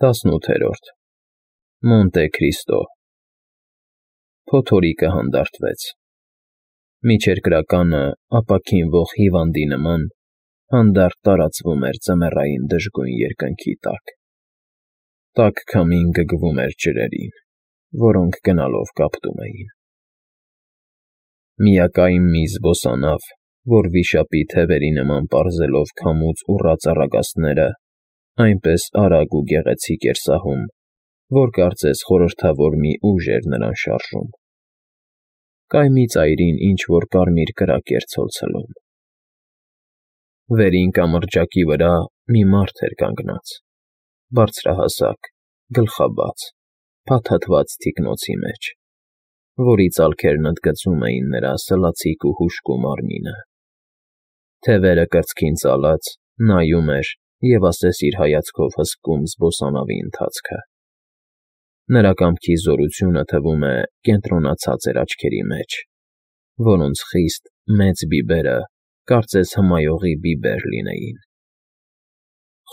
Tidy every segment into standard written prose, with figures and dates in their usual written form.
18-րդ Մոնտե Քրիստո Փոթորիկը հանդարտվեց։ Միջերկրականը ապաքինվող հիվանդի նման հանդարտ տարածվում էր ձմեռային դժգույն երկնքի տակ։ Տաք քամին գգվում էր ջրերին, որոնք գնալով կապտում էին։ Միակայն մի զբոսանավ, որ վիշապի թևերի նման պարզելով քամուց ուռած առագաստները, այնպես արագ ու գեղեցիկ էր սահում, որ կարծես խորհրդավոր մի ուժ էր նրան շարժում։ Կայմի ծայրին ինչ-որ կարմիր կրակ էր ցոլցլում։ Վերին կամրջակի վրա մի մարդ էր կանգնած, բարձրահասակ, գլխաբաց, փաթաթված թիկնոցի մեջ, որի ծալքերն ընդգծում էին նրա սլացիկ ու հուժկու մարմինը։ Թևերը կրծքին ծալած, նայում էր և ասես իր հայացքով հսկում զբոսանավի ընթացքը։ Նրա կամքի զորությունը, թվում է, կենտրոնացած էր աչքերի մեջ, որոնց խիստ մեծ բիբերը կարծես հմայողի բիբեր լինեին։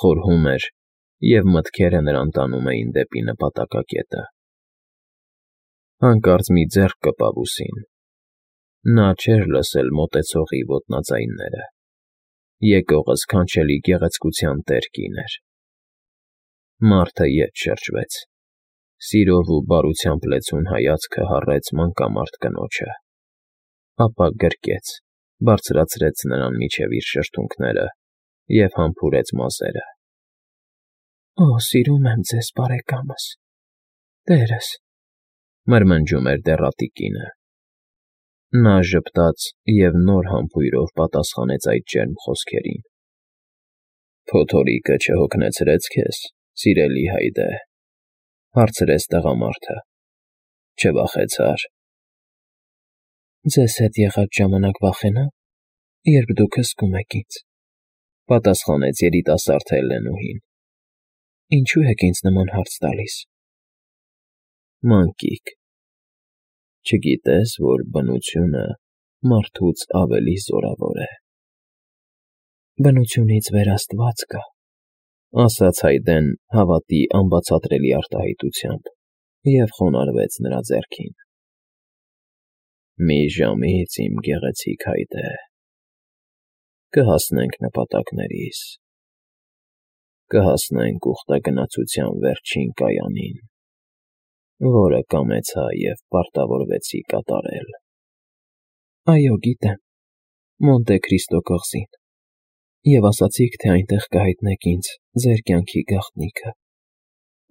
Խորհում էր, և մտքերը նրան տանում էին դեպի նպատակակետը։ Հանկարծ մի ձեռք կպավ ուսին։ Նա չէր լսել մոտեցողի ոտնաձայնները։ Եկողը սքանչելի գեղեցկության տեր կին էր։ Մարդը ետ շրջվեց։ Սիրով ու բարությամբ լեցուն հայացքը հառեց մանկամարդ կնոջը, ապա գրկեց, բարձրացրեց նրան մինչև իր շրթունքները և համբուրեց մազերը։ «Օ, սիրում եմ ձեզ, բարեկամս, տերս», մրմնջում էր դեռատի կինը։ Նա ժպտաց և նոր համբույրով պատասխանեց այդ ջերմ խոսքերին։ «Փոթորիկը չհոգնեցրե՞ց քեզ, սիրելի հայդե», հարցրեց տղամարդը։ «Չվախեցա՞ր»։ «Ձեզ հետ եղած ժամանակ վախենա՞մ, երբ դուք հսկում եք ինձ», պատասխանեց երիտասարդ Հելլենուհին։ «Ինչու եք ինձ նման հարց տալիս»։ «Մանկիկ, չգիտե՞ս, որ բնությունը մարդուց ավելի զորավոր է»։ «Բնությունից վեր Աստված կա», ասաց Հայդեն հավատի անբացատրելի արտահայտությամբ և խոնարհվեց նրա ձեռքին։ «Մի ժամից, իմ գեղեցիկ Հայդե, կհասնենք նպատակներիս, կհասնենք ուխտագնացության վերջին կայանին, որը կամեցա և պարտավորվեցի կատարել»։ «Այո, գիտեմ, Մոնտե Քրիստո կղզին, և ասացիք, թե այնտեղ կհայտնեք ինձ ձեր կյանքի գաղտնիքը,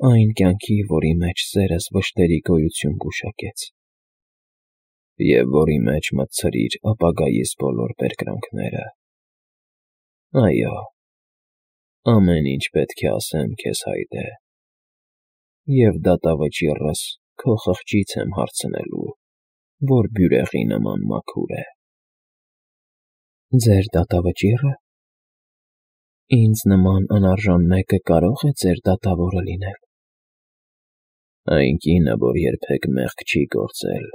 այն կյանքի, որի մեջ սերս վշտերի գոյություն գուշակեց, և որի մեջ մտցրիր ապագայիս բոլոր բերկրանքները։ Այո, ամեն ինչ պետք է ասեմ քեզ, Հայդե, և դատավճիռս քո խղճից եմ հարցնելու, որ բյուրեղի նման մաքուր է»։ «Ձեր դատավճի՞ռը։ Ինձ նման անարժան մեկը կարո՞ղ է ձեր դատավորը լինել»։ «Այն կինը, որ երբեք մեղք չի գործել,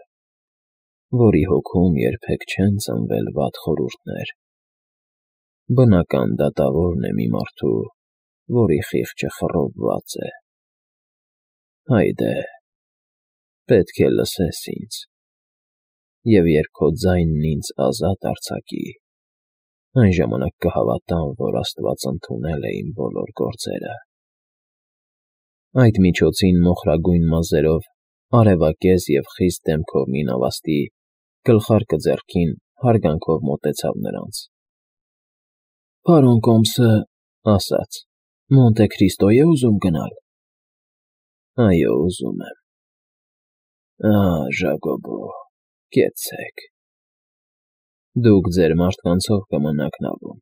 որի հոգում երբեք չեն ծնվել վատ խորհուրդներ, բնական դատավորն է մի մարդու, որի խիղճը խռովված է։ Հայդե, պետք է լսես ինձ, և երբ քո ձայնն ինձ ազատ արձակի, այն ժամանակ կհավատամ, որ Աստված ընդունել է իմ բոլոր գործերը»։ Այդ միջոցին մոխրագույն մազերով, արևակեզ և խիստ դեմքով մի նավաստի, գլխարկը ձեռքին, հարգանքով մոտեցավ նրանց։ «Պարոն կոմսը, ասաց, Մոնտե Քրիստո՞ է ուզում գնալ»։ «Այո, ուզում եմ»։ «Ժակոբո, կեցցեք։ Դուք ձեր մարդկանցով կմնաք նավում։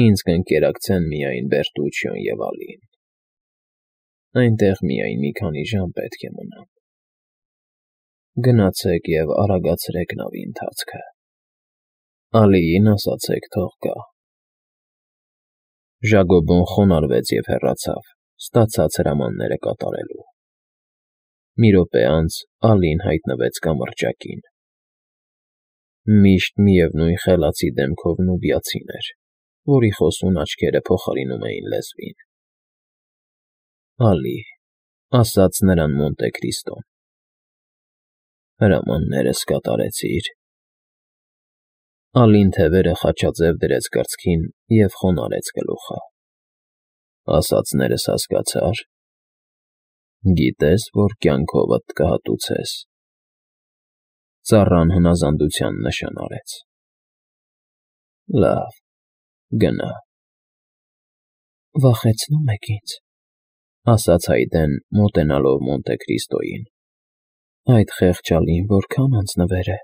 Ինձ կընկերակցեն միայն Բերտուչիոն և Ալին։ Այնտեղ միայն մի քանի ժամ պետք է մնամ։ Գնացեք և արագացրեք նավի ընթացքը։ Ալիին ասացեք թող գա»։ Ժակոբոն խոնարհվեց և հեռացավ, ստացած հրամանները կատարելու։ Մի րոպե անց Ալին հայտնվեց կամրջակին։ Միշտ միևնույն խելացի դեմքով նուբիացին էր, որի խոսուն աչքերը փոխարինում էին լեզվին։ Ալի, ասաց նրան Մոնտե Քրիստոն, հրամաններս կատարեցի՞ր։ Ալին թևերը խաչաձև դրեց կրծքին և խոնարհեց գլուխը։ Ասածներս հասկացա՞ր։ Գիտես, որ կյանքովդ կհատուցես։ Ծառան հնազանդության նշան արեց։ Լավ, գնա։ Վախեցնում եք ինձ, ասաց Հայդեն, մոտենալով Մոնտե Քրիստոյին։ Այդ խեղճալին որքան անձնվեր է,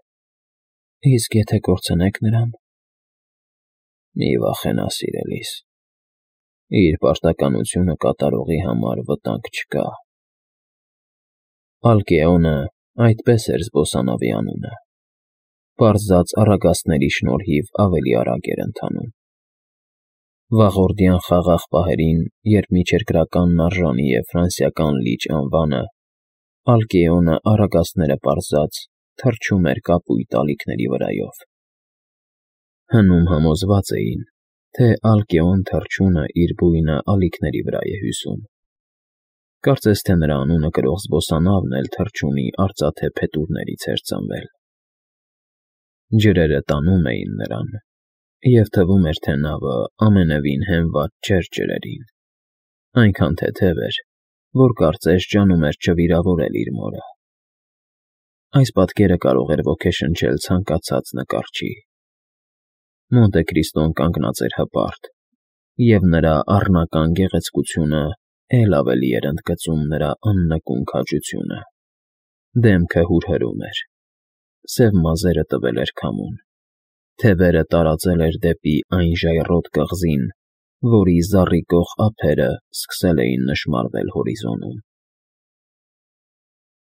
իսկ եթե կորցնեք նրան… Մի վախենա, սիրելիս, իր պարտականությունը կատարողի համար վտանգ չկա։ Ալկեոնը այդպես էր զբոսանավի անունը, պարզած առագաստների շնորհիվ ավելի արագ էր ընթանում։ Վաղորդյան խաղաղ պահերին, երբ միջերկրականն արժանի է ֆրանսիական լիճ անվանը, Ալկեոնը առագաստները պարզած թռչում էր կապույտ ալիքների վրայով։ Հնում համոզված էին, թե Ալկեոն թռչունը իր բույնը ալիքների վրա է հյուսում։ Կարծես թե նրա անունը կրող զբոսանավն էլ թռչունի արծաթե փետուրներից էր ծնվել։ Ջրերը տանում էին նրան, և թվում էր, թե նավը ամենևին հենված չէր ջրերին, այնքան թեթև էր, որ կարծես ջանում էր չվիրավորել իր մորը։ Այս պատկերը կարող էր ոգեշնչել ցանկացած նկարչի։ Մոնտե Քրիստոն կանգնած էր հպարտ, և նրա առնական գեղեցկությունը էլ ավելի էր ընդգծում նրա աննկուն քաջությունը։ Դեմքը հուրհրում էր, սև մազերը տվել էր քամուն, թևերը տարածել էր դեպի այն ժայռոտ կղզին, որի զառիգող ափերը սկսել էին նշմարվել հորիզոնում։